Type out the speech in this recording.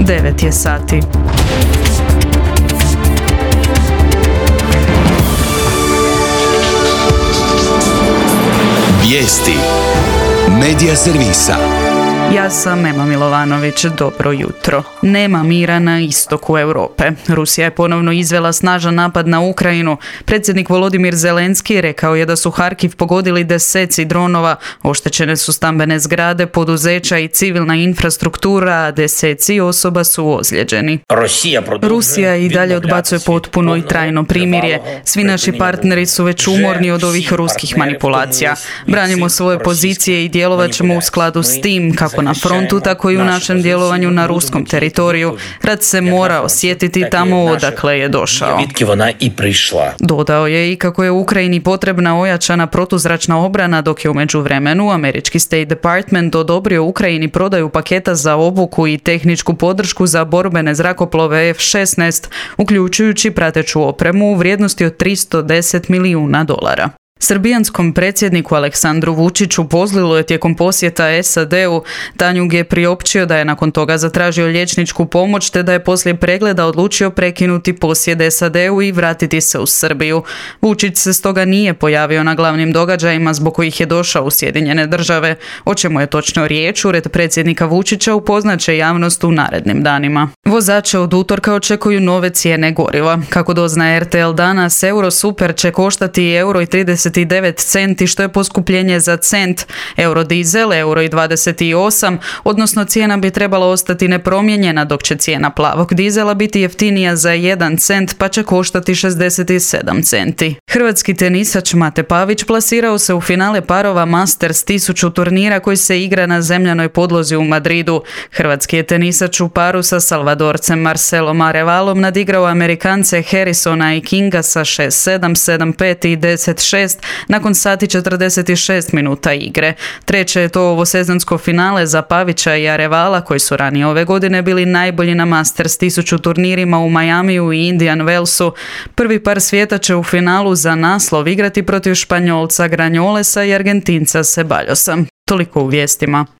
9 je sati. Vijesti Medija servisa. Ja sam Ema Milovanović, dobro jutro. Nema mira na istoku Europe. Rusija je ponovno izvela snažan napad na Ukrajinu. Predsjednik Volodimir Zelenski rekao je da su Harkiv pogodili deseci dronova, oštećene su stambene zgrade, poduzeća i civilna infrastruktura, a deseci osoba su ozlijeđeni. Rusija i dalje odbacuje potpuno i trajno primirje. Svi naši partneri su već umorni od ovih ruskih manipulacija. Branimo svoje pozicije i djelovat ćemo u skladu s tim, kako na frontu, tako i u našem djelovanju na ruskom teritoriju. Rat se mora osjetiti tamo odakle je došao. Dodao je i kako je Ukrajini potrebna ojačana protuzračna obrana, dok je u međuvremenu američki State Department odobrio Ukrajini prodaju paketa za obuku i tehničku podršku za borbene zrakoplove F-16, uključujući prateću opremu u vrijednosti od $310 milijuna. Srbijanskom predsjedniku Aleksandru Vučiću pozlilo je tijekom posjeta SAD-u. Tanjug je priopćio da je nakon toga zatražio liječničku pomoć, te da je poslije pregleda odlučio prekinuti posjet SAD-u i vratiti se u Srbiju. Vučić se stoga nije pojavio na glavnim događajima zbog kojih je došao u Sjedinjene Države. O čemu je točno riječ, ured predsjednika Vučića upoznaće javnost u narednim danima. Vozače od utorka očekuju nove cijene goriva. Kako doznaje RTL danas, Eurosuper će koštati €1,39, što je poskupljenje za cent. Eurodizel €1,28, odnosno cijena bi trebala ostati nepromijenjena, dok će cijena plavog dizela biti jeftinija za 1 cent, pa će koštati 67 centi. Hrvatski tenisač Mate Pavić plasirao se u finale parova Masters 1000 turnira koji se igra na zemljanoj podlozi u Madridu. Hrvatski je tenisač u paru sa Salvadorcem Marcelom Arevalom nadigrao Amerikance Harrisona i Kinga sa 6-7, 7-5 i 10-6 nakon sati 46 minuta igre. Treće je to ovosezonsko finale za Pavića i Arevala, koji su ranije ove godine bili najbolji na Masters 1000 turnirima u Majamiju i Indian Wellsu. Prvi par svijeta će u finalu za naslov igrati protiv Španjolca Granjolesa i Argentinca Ceballosa. Toliko u vijestima.